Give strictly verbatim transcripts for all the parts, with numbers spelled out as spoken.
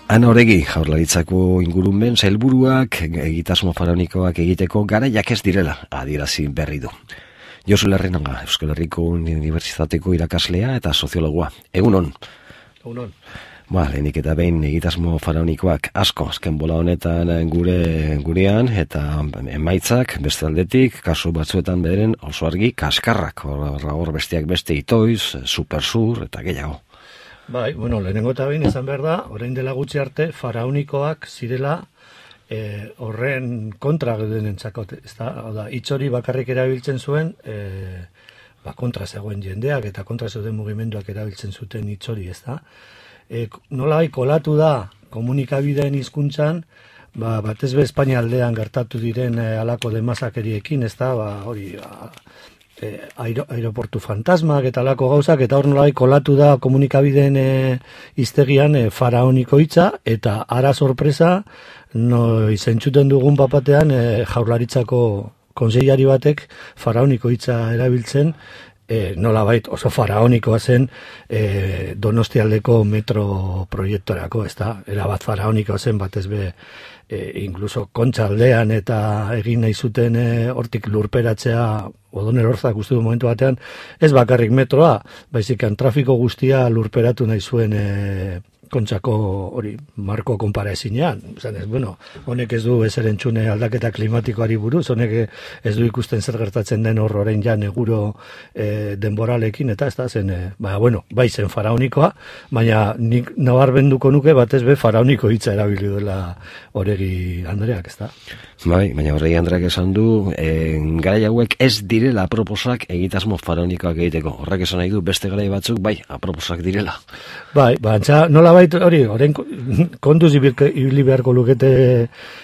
Ana Oregi, Jaurlaritzako ingurumen sailburuak egitasmo faraonikoak egiteko garaiak ez direla adierazi berri du. Josu Larrenaga, Euskal Herriko Unibertsitateko irakaslea eta soziologoa. Egunon. Egunon. Ba, lehenik eta behin egitasmo faraonikoak asko azken bola honetan gure gurean eta emaitzak beste aldetik, kasu batzuetan bederen oso argi kaskarrak, hor besteak beste itoiz, supersur eta gehiago. Bai, bueno, lehenengo eta behin esan behar da, orain dela gutxi arte, faraonikoak zirela eh, horren kontra geudenentzako, ezta? Oda, hitz hori bakarrik erabiltzen zuen, eh, ba, kontra zegoen jendeak eta kontra zeuden mugimenduak erabiltzen zuten hitz hori, ezta? E, nolai kolatu da komunikabideen hizkuntzan, ba, batez be Espainia aldean gertatu diren e, alako demasakeriekin, ez da, ba, hori, ba, e, aero, aeroportu fantasmak eta alako gauzak, eta hor nolai kolatu da komunikabideen e, iztegian e, faraoniko hitza, eta ara sorpresa, no, izentzuten dugun papatean e, Jaurlaritzako konseilari batek faraoniko hitza erabiltzen, E, nola bait oso faraonikoa zen e, Donostialdeko metro proiektorako, ez da, erabat faraonikoa zen batez be, e, incluso Kontxaldean eta egin nahi zuten e, hortik lurperatzea Odon Elorzak uste du momentu batean, ez bakarrik metroa, baizik trafiko guztia lurperatu nahi zuen e, Kontxako hori marko konparaezinean. Ez, bueno, honek ez du ezer entzune aldaketa klimatikoari buruz, honek ez du ikusten zer gertatzen den hor orain ja neguro e, denboralekin, eta ez da zen, e, ba, bueno, bai zen faraonikoa, baina nik nabarmenduko nuke batez be faraoniko hitza erabili duela Oregi Andreak, ez da? Bai, baina Oregi Andreak esan du, e, garai hauek ez direla aproposak egitasmo faraonikoak egiteko. Horrek esan nahi du beste garai batzuk, bai, aproposak direla. Bai, bantza, nola bait hori, orain kontuz ibili beharko lukete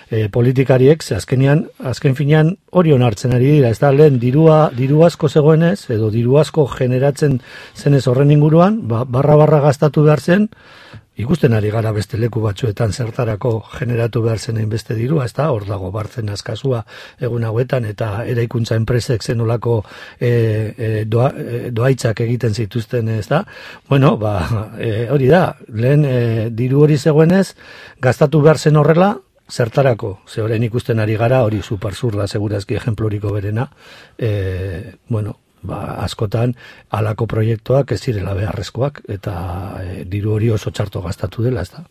e, politikariek, ze azkenian, azken finean hori onartzen ari dira, ez da, lehen dirua, diru asko zegoenez, edo diru asko generatzen zenez horren inguruan, ba, barra-barra gastatu behar zen, ikusten ari gara beste leku batzuetan zertarako generatu behar zenein beste dirua, ez da, hor dago bartzen askazua egun hauetan, eta eraikuntza enpresek zenolako e, e, doa, e, doaitzak egiten zituzten, ez da. Bueno, ba, e, hori da, lehen e, diru hori zegoenez, gastatu behar zen horrela, zertarako, ze horrein ikusten ari gara, hori supersur da, segurazki ejempluriko berena, e, bueno, ba, askotan halako proiektuak ez zirela beharrezkoak eta e, diru hori oso txarto gastatu dela, ez da.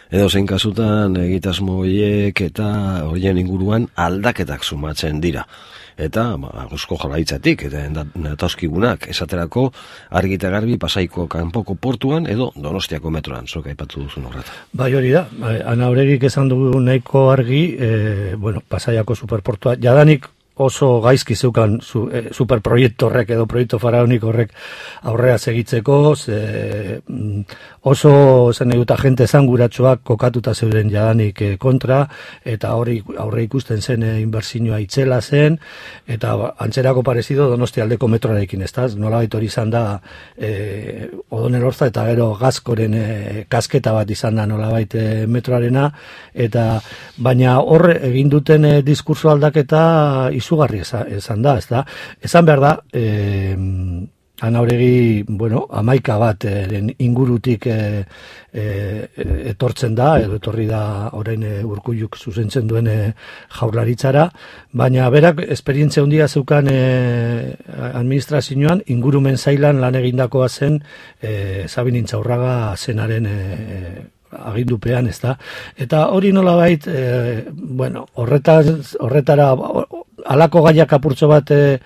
Edo zein kasutan egitasmo horiek eta horien inguruan aldaketak sumatzen dira. Eta ba, Eusko Jaurlaritzatik eta datoskigunak esaterako argi eta garbi Pasaiko kanpoko portuan edo Donostiako metroan, zuk aipatu duzun horretan. Bai, hori da. Ana Oregik esan dugu nahiko argi, e, bueno, Pasaiako superportua jadanik oso gaizki zeukan su, e, superproiektu horrek edo proiektu faraoniko horrek aurrea segitzeko, ze, oso zen eduta jente zanguratsuak kokatuta zeuden jadanik e, kontra, eta hori aurre ikusten zen e, inbertsioa itzela zen, eta antzerako parezido Donostialdeko metroarekin, ez da, nolabait hori izan da e, Odon Elorza eta gero Gazkoren e, kasketa bat izan da nolabait e, metroarena, eta baina hor egin duten e, diskurso aldaketa izugarri esan da, ez da. Esan behar da, eh, Ana Oregi, bueno, amaika bat eh, ingurutik eh, eh, etortzen da, edo etorri da orain eh, Urkulluk zuzentzen duen eh, Jaurlaritzara, baina berak esperientzia handia zeukan eh, administrazioan, ingurumen zailan lan egindakoa zen eh, Sabin Intxaurraga zenaren eh, agindupean, ez da. Eta hori nolabait, eh, bueno, horretaz, horretara halako gaiak apurtxo bat e,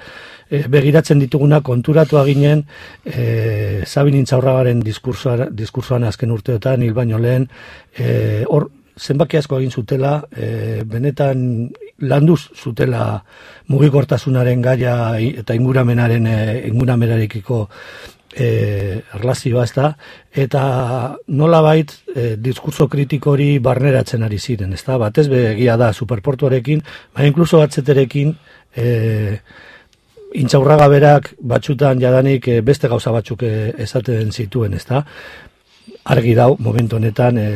e, begiratzen dituguna konturatu ginen e, Sabin Intxaurragaren diskursoan azken urteotan hil baino lehen e, hor zenbaki asko egin zutela e, benetan landuz zutela mugikortasunaren gaia eta inguramenaren e, inguramenarekiko E, erlazioa, ez da, eta nolabait e, diskurso kritiko hori barneratzen ari ziren, ez da, batez begia da superportuarekin, baina inkluso batzeterekin e, Intxaurraga berak batzutan jadanik e, beste gauza batzuk e, esaten zituen, ez da, argi dau momentu honetan e,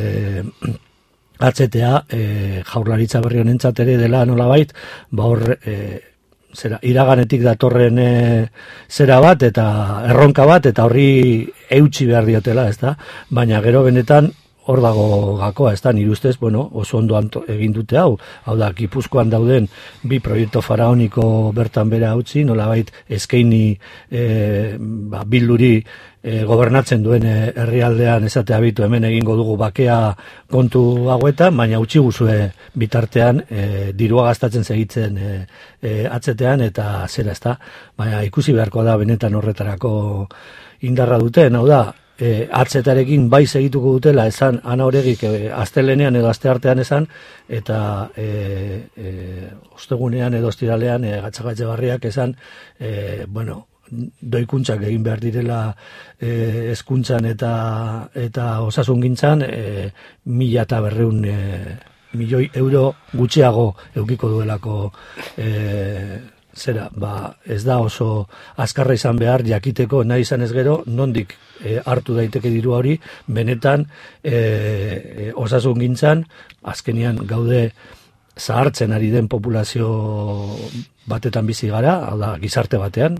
atzetea e, Jaurlaritza berri honentzat ere dela nolabait, ba hor e, zera, iraganetik datorren e, zera bat eta erronka bat eta horri eutsi behar diotela, ez da? Baina gero benetan hor dago gakoa, ez da, nire ustez, bueno, oso ondo anto, egin dute hau, hau da, Gipuzkoan dauden bi proiektu faraoniko bertan bera utzi, nolabait eskaini e, ba, bilduri e, gobernatzen duen e, herrialdean esatea bitu hemen egingo dugu bakea kontu hauetan, baina utzi guzue bitartean e, dirua gastatzen segitzen e, e, atzetean eta zera ez da, baina ikusi beharko da benetan horretarako indarra duten, hau da, E, atzetarekin bai segituko dutela esan Ana Oregik e, astelenean edo asteartean esan eta e, e, ostegunean edo ostiralean e, Gatxagatxe Barriak esan e, bueno, doikuntzak egin behar direla e, hezkuntzan eta eta osasungintzan e, mila eta berreun e, milioi euro gutxiago eukiko duelako e, zera, ba, ez da oso azkarra izan behar jakiteko nahi izan ez gero, nondik e, hartu daiteke diru hori, benetan e, e, osasun gintzan, azkenian gaude zahartzen ari den populazio batetan bizi gara, hau da, gizarte batean,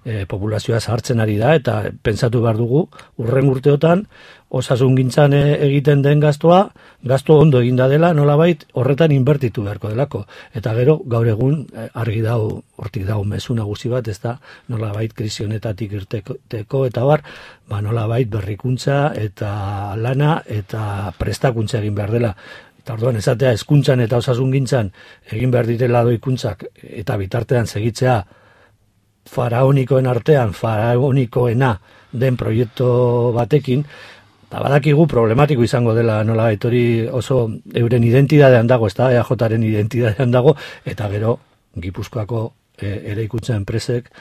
e, populazioa zahartzen ari da, eta pentsatu behar dugu, urren urteotan, osasun gintzan egiten den gastoa, gasto ondo eginda dela, nolabait horretan inbertitu beharko delako. Eta gero, gaur egun, argi dau, hortik dau mezu nagusi bat, ez da, nolabait krisi honetatik irteko, eta bar, ba, nolabait berrikuntza eta lana eta prestakuntza egin behar dela. Eta orduan, esatea, hezkuntzan eta osasungintzan egin behar direla doikuntzak eta bitartean segitzea faraonikoen artean, faraonikoena den proiektu batekin, eta badakigu problematiko izango dela nola hori oso euren identidadean dago, ez da, E A Jaren identidadean dago, eta gero Gipuzkoako e, eraikuntza enpresek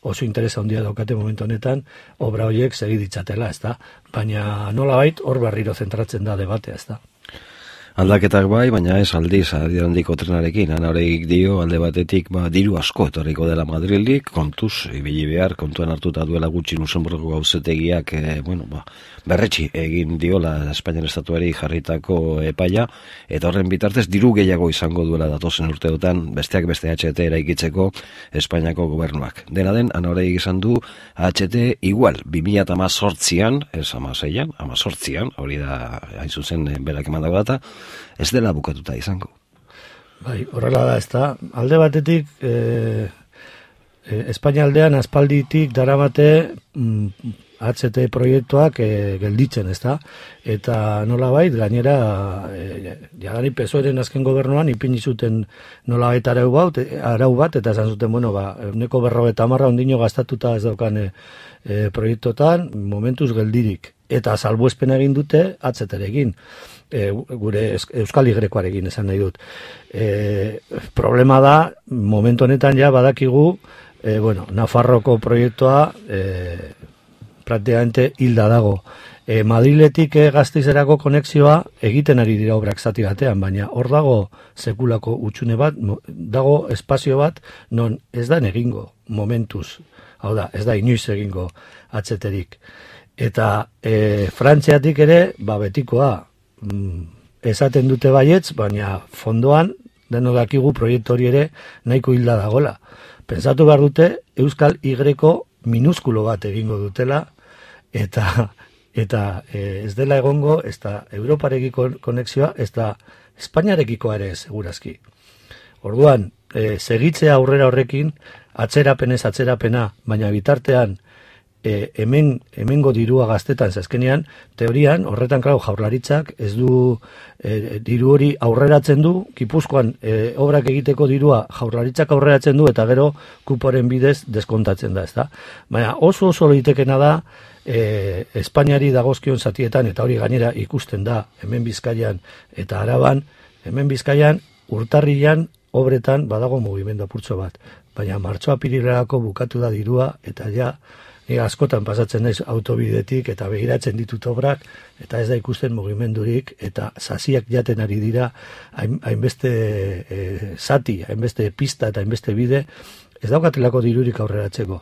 oso interesa handia daukate momentu honetan, obra horiek segi ditzatela, ez da, baina nolabait hor berriro zentratzen da debatea, ez da. Aldaketak bai, baina ez aldiz, aldi handiko trenarekin, Ana Oregik dio, alde batetik, ba, diru asko etorriko dela Madrildik, kontuz, ibili behar, kontuan hartuta duela gutxi Luxemburgo gauzetegiak, e, bueno, ba, berretxi egin diola Espainian estatuari jarritako epaia, eta horren bitartez, diru gehiago izango duela datozen urteotan, besteak beste H T eraikitzeko Espainiako gobernuak. Dena den, Ana Oregik izan du, H T igual, bi mila hamazortzian, ez hamaseian, hamazortzian, hori da, hain zuzen, berak emandago data, ez dela bukatuta izango. Bai, horrela da, ez da. Alde batetik, e, e, Espainia aldean aspalditik daramate mm, H T proiektuak e, gelditzen, ez da. Eta nolabait, gainera, e, jadani P S O Eren azken gobernuan ipini zuten nolabait arau bat, arau bat, eta esan zuten, bueno, ba, euneko berrogeita hamarra ondino gastatuta ez daukan e, e, proiektotan, momentuz geldirik. Eta salbuespen egin dute H T-rekin. E, gure Euskal Igrekoarekin esan nahi dut. E, problema da, momentu honetan ja badakigu, e, bueno, Nafarroko proiektua e, praktikamente hilda dago. E, Madriletik e, Gasteizerako konexioa egiten ari dira obrak zati batean, baina hor dago sekulako utxune bat, dago espazio bat, non ez da egingo momentuz. Hau da, ez da inoiz egingo H T-rik. Eta e, Frantziatik ere, ba betikoa, esaten dute baietz, baina fondoan deno dakigu proiektu hori ere nahiko hilda dagola. Pentsatu behar dute Euskal Igreko minuskulo bat egingo dutela eta eta e, ez dela egongo ez da Europarekiko konexioa, ez da Espainiarekikoa ere segurazki. Orduan, e, segitzea aurrera horrekin, atzerapenez atzerapena, baina bitartean E, hemen, hemengo dirua gaztetan zazkenean, teorian, horretan, klar, Jaurlaritzak ez du e, diru hori aurreratzen du, Gipuzkoan e, obrak egiteko dirua Jaurlaritzak aurreratzen du, eta gero kuporen bidez deskontatzen da, ez da. Baina oso oso litekena da, e, Espainiari dagozkion zatietan, eta hori gainera ikusten da, hemen Bizkaian eta Araban, hemen Bizkaian, urtarrilan, obretan, badago mugimendu apurtxo bat. Baina martxoa pirilerako bukatu da dirua, eta ja, Ni askotan pasatzen naiz autobidetik eta begiratzen ditut obrak eta ez da ikusten mugimendurik eta sasiak jaten ari dira hainbeste e, zati, hainbeste pista eta hainbeste bide ez daukatelako dirurik aurreratzeko.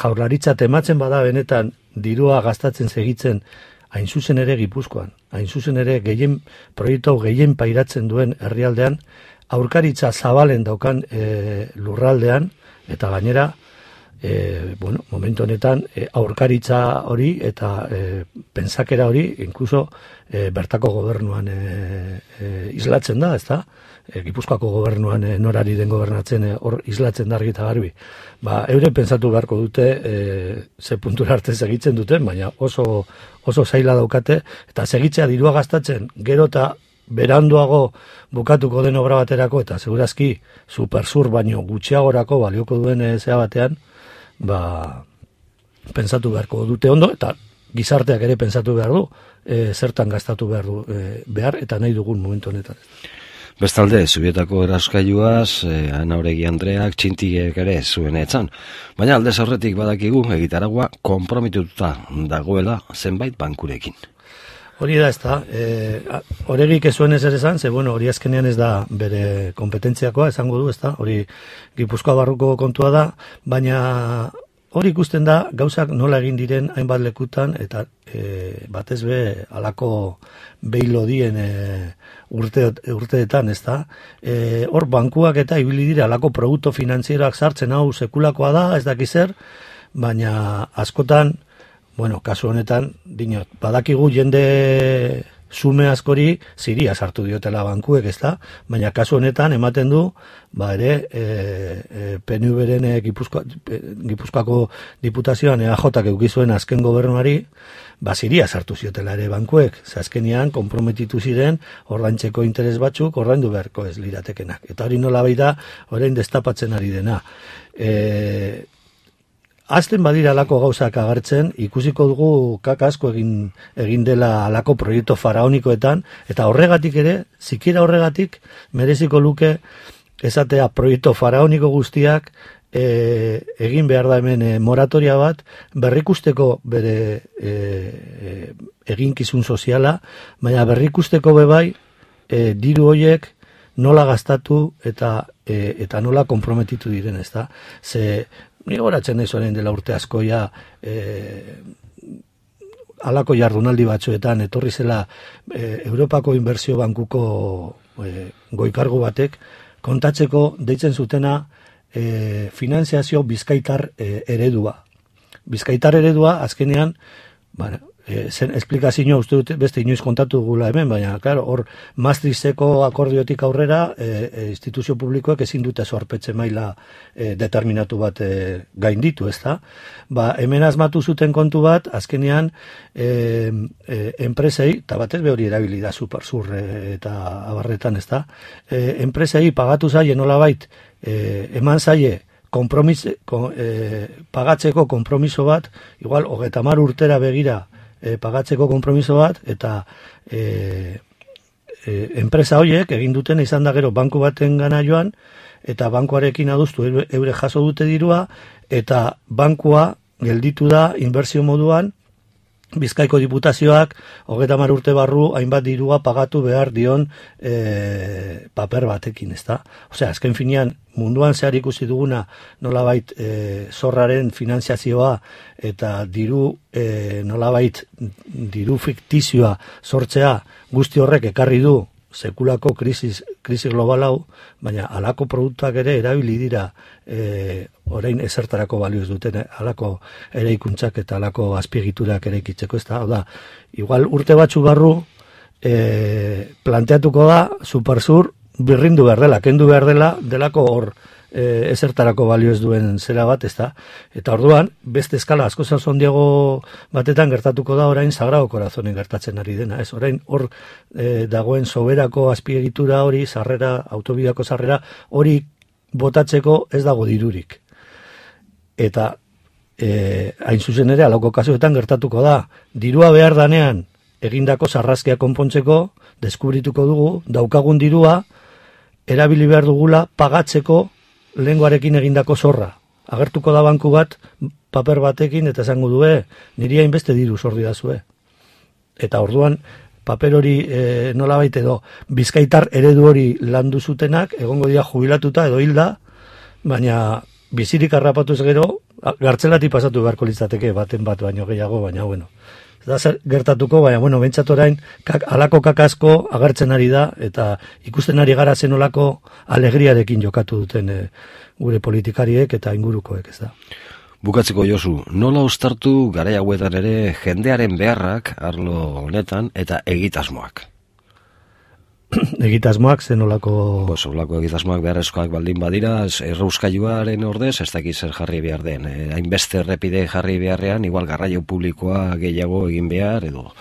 Jaurlaritza tematzen bada benetan dirua gastatzen segitzen hain zuzen ere Gipuzkoan, hain zuzen ere gehien proiektu gehien pairatzen duen herrialdean, aurkaritza zabalen daukan e, lurraldean eta gainera e, bueno, momentu honetan e, aurkaritza hori eta e, pensakera hori, inkluso e, bertako gobernuan e, e, islatzen da, ezta? E, Gipuzkoako gobernuan e, norari den gobernatzen e, hor islatzen da argi eta garbi. Ba, eure pentsatu beharko dute e, ze puntura arte segitzen duten, baina oso, oso zaila daukate, eta segitzea dirua gastatzen, gero eta beranduago bukatuko den obra baterako, eta segurazki supersur baino gutxiagorako balioko duen e, zea batean, ba, pentsatu beharko dute ondo, eta gizarteak ere pentsatu behar du, e, zertan gastatu behar du e, behar, eta nahi dugun momentu honetan. Bestalde, Zubietako eraskailuaz, eh, Ana Oregi Andreak, txintiek ere zuen etzan. Baina aldez aurretik badakigu egitaragua konpromituta dagoela zenbait bankurekin. Hori da ez da, e, Oregik ez zuen ez ere esan, ze bueno, hori azkenean ez da bere kompetentziakoa, esango du, ez da, hori Gipuzkoa barruko kontua da, baina hori ikusten da gauzak nola egin diren hainbat lekutan, eta e, batez be alako beilodien e, urte, urteetan, ez da. E, hor bankuak eta ibili dira alako produktu finanzieroak sartzen, hau sekulakoa da, ez dakiz zer, baina askotan, bueno, kasu honetan, dinot, badakigu jende sume askori ziria sartu diotela bankuek, ez da, baina kasu honetan ematen du, ba ere, e, e, P N V-ren e, Gipuzkoa, e, Gipuzkoako diputazioan E A J-ak eukizuen azken gobernuari, ba ziria sartu ziotela ere bankuek, ze azkenean konprometitu ziren ordaintzeko interes batzuk ordaindu beharko ez liratekenak. Eta hori nola baita, orain destapatzen ari dena. E, Azten badira alako gauzak agertzen, ikusiko dugu kaka asko egin, egin dela alako proiektu faraonikoetan, eta horregatik ere, zikira horregatik, mereziko luke esatea proiektu faraoniko guztiak e, egin behar da hemen e, moratoria bat, berrikusteko bere e, e, eginkizun soziala, baina berrikusteko bebai e, diru hoiek nola gastatu eta, e, eta nola konprometitu diren, ez da? Ze ni goratzen ez orain dela urte askoia e, alako jardunaldi batzuetan etorri zela e, Europako Inbertsio Bankuko e, goikargu batek kontatzeko deitzen zutena e, finanziazio bizkaitar e, eredua. Bizkaitar eredua azkenean, bueno, E, zen esplikazioa uste dut beste inoiz kontatu gula hemen, baina, claro, hor Maastrichteko akordiotik aurrera e, e, instituzio publikoek ezin dute zorpetze maila e, determinatu bat e, gainditu, ez da? Ba, hemen asmatu zuten kontu bat, azkenean e, e, enpresei, eta batez be hori erabili da supersur e, eta abarretan, ez da? E, enpresei pagatu zaie nolabait, e, eman zaie, kompromis, ko, e, pagatzeko konpromiso bat, igual, hogeita hamar urtera begira, E, pagatzeko konpromiso bat, eta e, e, enpresa horiek egin duten izan da gero banku baten gana joan, eta bankuarekin adustu eure, eure jaso dute dirua, eta bankua gelditu da inbertsio moduan, Bizkaiko diputazioak hogeita hamar urte barru hainbat dirua pagatu behar dion e, paper batekin, ezta? Osea, azken finean munduan zehar ikusi duguna nolabait e, zorraren finanziazioa eta diru e, nolabait diru fiktizioa sortzea guzti horrek ekarri du sekulako krisis, krisis global hau, baina alako produktuak ere erabili dira e, orain ezertarako balio ez duten, alako eraikuntzak eta alako azpiegiturak eraikitzeko, ez da, hau da, igual urte batzu barru e, planteatuko da supersur birrindu behar dela, kendu behar dela, delako hor e, ezertarako balio ez duen zera bat, ez da, eta orduan, beste eskala asko zondiago batetan gertatuko da orain Sagrado Corazonen gertatzen ari dena, ez, orain hor e, dagoen soberako azpiegitura hori, sarrera, autobidako sarrera, hori botatzeko ez dago dirurik. Eta e, hain zuzen ere, alauko kasuetan gertatuko da, dirua behar danean egindako sarrazkia konpontzeko, deskubrituko dugu, daukagun dirua, erabili behar dugula pagatzeko lehengoarekin egindako zorra. Agertuko da banku bat, paper batekin, eta esango du, niri hainbeste diru zorri da zue. Eta orduan, paper hori e, nolabait edo, bizkaitar eredu hori landu zutenak, egongo dira jubilatuta edo hilda, baina bizirik harrapatuz gero, gartzelati pasatu beharko litzateke baten bat baino gehiago, baina bueno. Da zer gertatuko, baina, bueno, bentsat orain, kak, alako kakasko agertzen ari da, eta ikusten ari gara zenolako alegriarekin jokatu duten e, gure politikariek eta ingurukoek, ez da. Bukatzeko Josu, nola uztartu garai hauetan ere jendearen beharrak arlo honetan eta egitasmoak? Egitasmoak zen olako... Pues, olako egitasmoak beharrezkoak baldin badira, errauskailuaren ordez, ez dakit zer jarri behar den. Eh, hainbeste errepide jarri beharrean, igual garraio publikoa gehiago egin behar, edo...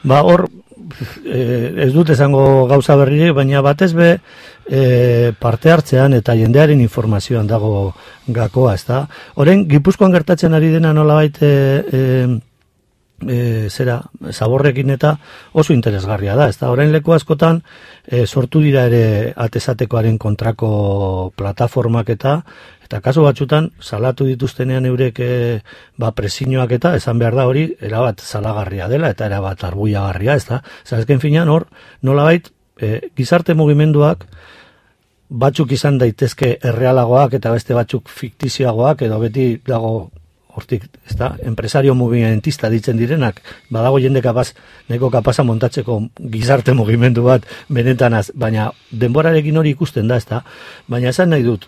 Ba, hor, eh, ez dut esango gauza berririk, baina batez be eh, parte hartzean eta jendearen informazioan dago gakoa, ez da? Horen, Gipuzkoan gertatzen ari dena nolabait... Eh, eh, E, zera, zaborrekin eta oso interesgarria da, ez da, orain leku askotan e, sortu dira ere atesatekoaren kontrako plataformak eta eta kasu batzutan salatu dituztenean eurek e, ba presiñoak eta esan behar da hori erabat salagarria dela eta erabat arbuiagarria, ez da, zazken finean hor nolabait e, gizarte mugimenduak batzuk izan daitezke errealagoak eta beste batzuk fiktizioagoak edo beti dago hortik, ez da, empresario movimentista ditzen direnak, badago jende kapaz, neko kapaza montatzeko gizarte mugimendu bat benetanaz, baina denborarekin hori ikusten da, ez da, baina esan nahi dut,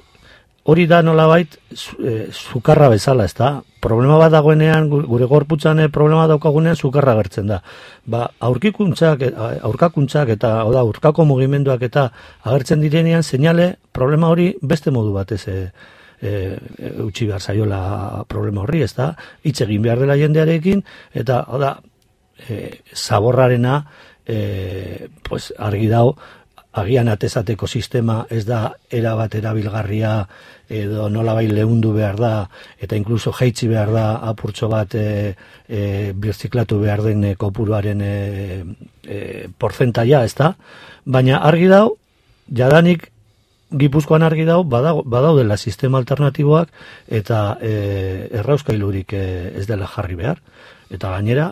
hori da nolabait e, sukarra bezala, ez da, problema bat dagoenean, gure gorputzan problema daukagunean sukarra gertzen da. Ba, aurkikuntzak, aurkakuntzak eta, oda, aurkako mugimenduak eta agertzen direnean, seinale, problema hori beste modu batez, e, E, utzi behar zaiola problema horri, ez da, hitz egin behar dela jendearekin, eta, oda, e, zaborrarena, e, pues, argi dau, agian atezateko sistema ez da erabat erabilgarria, edo nolabai leundu behar da, eta inkluso jaitsi behar da apurtxo bat e, e, birziklatu behar den e, kopuruaren e, e, porcentaia, ez da, baina argi dau, jadanik Gipuzkoan argi dau, badau, badaudela sistema alternatiboak eta e, errauskailurik e, ez dela jarri behar. Eta gainera,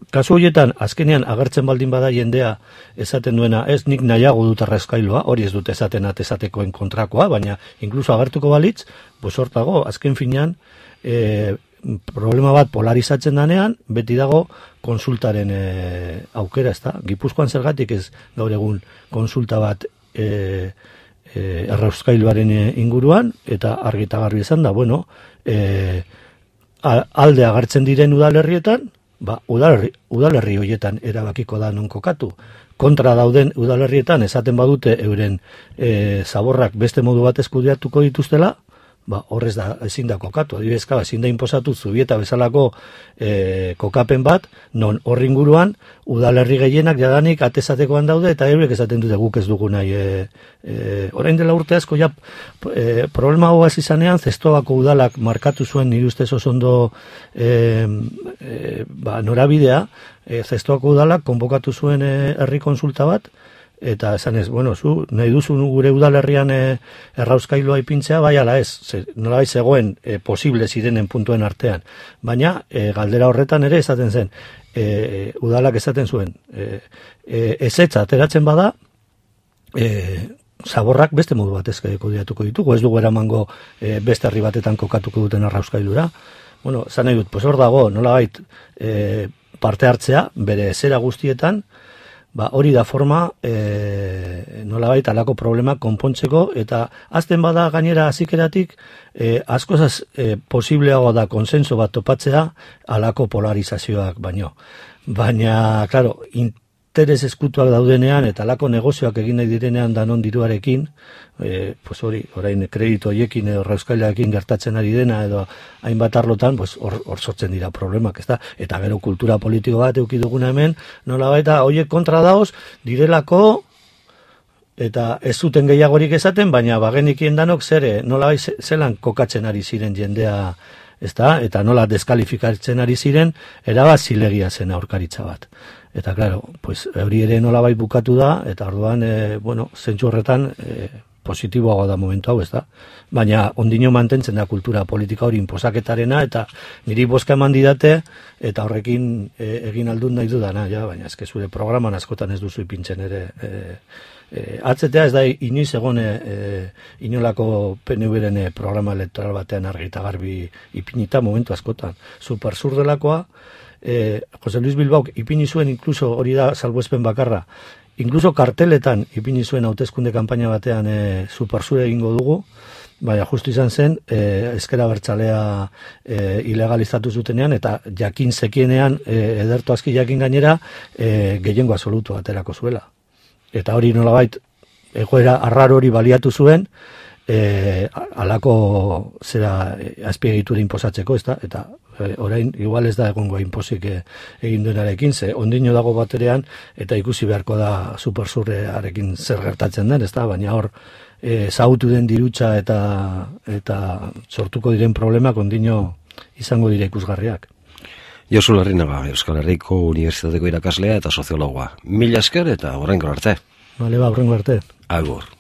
kasu horietan, azkenean agertzen baldin bada jendea esaten duena, ez nik nahiago dut errauskailua, hori ez dut esaten atesatekoen kontrakoa, baina inkluso agertuko balitz, pues hortago, azken finean, e, problema bat polarizatzen danean, beti dago konsultaren e, aukera, ez da? Gipuzkoan zergatik ez gaur egun konsulta bat e, E, errauskailuaren inguruan, eta argita garbi esan da, bueno, e, alde agertzen diren udalerrietan, ba, udalerri, udalerri horietan erabakiko da non kokatu. Kontra dauden udalerrietan esaten badute euren e, zaborrak beste modu bat eskudiatuko dituztela, ba, horrez da ezin da kokatu. Adibidezka, ezin da inposatu Zubieta bezalako e, kokapen bat, non horri inguruan udalerri gehienak jadanik atesatekoan daude, eta eurek esaten dute guk ez dugu nahi. E, e, orain dela urte asko, ja, e, problema hau hasi izanean, Zestobako udalak markatu zuen nire ustez oso ondo e, e, ba, norabidea, e, Zestobako udalak konbokatu zuen e, herri konsulta bat, eta esan ez, bueno, zu, nahi duzu gure udalerrian e, errauskailua ipintzea, bai ala ez, ze, nola bai zegoen e, posible zirenen puntuen artean. Baina, e, galdera horretan ere esaten zen, e, udalak esaten zuen, e, e, ezetza ateratzen bada, e, zaborrak beste modu bat ezkaiko diatuko ditugu, ez dugu eramango e, beste herri batetan kokatuko duten errauskailura. Bueno, zan nahi dut, pues hor dago, nola bait, e, parte hartzea, bere zera guztietan, ba, hori da forma e, nolabait alako problema konpontzeko, eta azten bada gainera azikeratik e, askozaz e, posibleago da konsenso bat topatzea alako polarizazioak baino. Baina, klaro, interes eskutuak daudenean eta alako negozioak egin nahi direnean danon diruarekin, e, pues hori, orain kredito hoiekin edo errauskailarekin gertatzen ari dena edo hainbat arlotan, pues hor, hor sortzen dira problemak, ezta? Eta gero kultura politiko bat eduki duguna hemen, nola baita hoiek kontra daoz, direlako eta ez zuten gehiagorik esaten, baina bagenikien danok zer, nola bai zelan kokatzen ari ziren jendea, ezta? Eta nola deskalifikatzen ari ziren, erabat zilegia zen aurkaritza bat. Eta, claro, pues, hori ere nolabait bukatu da, eta orduan, e, bueno, zentsu horretan, e, positiboagoa da momentu hau, ez da? Baina, ondino mantentzen da kultura politika hori inposaketarena, eta niri boska eman didate, eta horrekin e, egin aldun nahi dudana, ja, baina ezke zure programan askotan ez duzu ipintzen ere. E, e, atzetea ez da inoiz egon e, inolako P N V-ren programa elektoral batean argi eta garbi ipinita momentu askotan. Super zur delakoa, Eh, Jose Luis Bilbaok ipini zuen inkluso hori da salbuespen bakarra, inkluso karteletan ipini zuen hauteskunde kanpaina batean e, superzure egingo dugu, baina justu izan zen, e, ezker abertzalea e, ilegalizatu zutenean, eta jakin zekienean, e, ederto aski jakin gainera, e, gehiengo absolutu aterako zuela. Eta hori nolabait, egoera arraro hori baliatu zuen, e, alako zera e, azpiegitura inposatzeko, ez da? Eta e, orain, igual ez da egongo inpozik e, egin duenarekin, ze ondino dago baterean, eta ikusi beharko da superzurrearekin zer gertatzen den, ez da? Baina hor, e, zautu den dirutza eta, eta sortuko diren problemak ondino izango dira ikusgarriak. Josu Larrinaga, Euskal Herriko Unibertsitateko irakaslea eta soziologoa. Mila esker eta horrengo arte. Bale, ba, horrengo arte. Agur.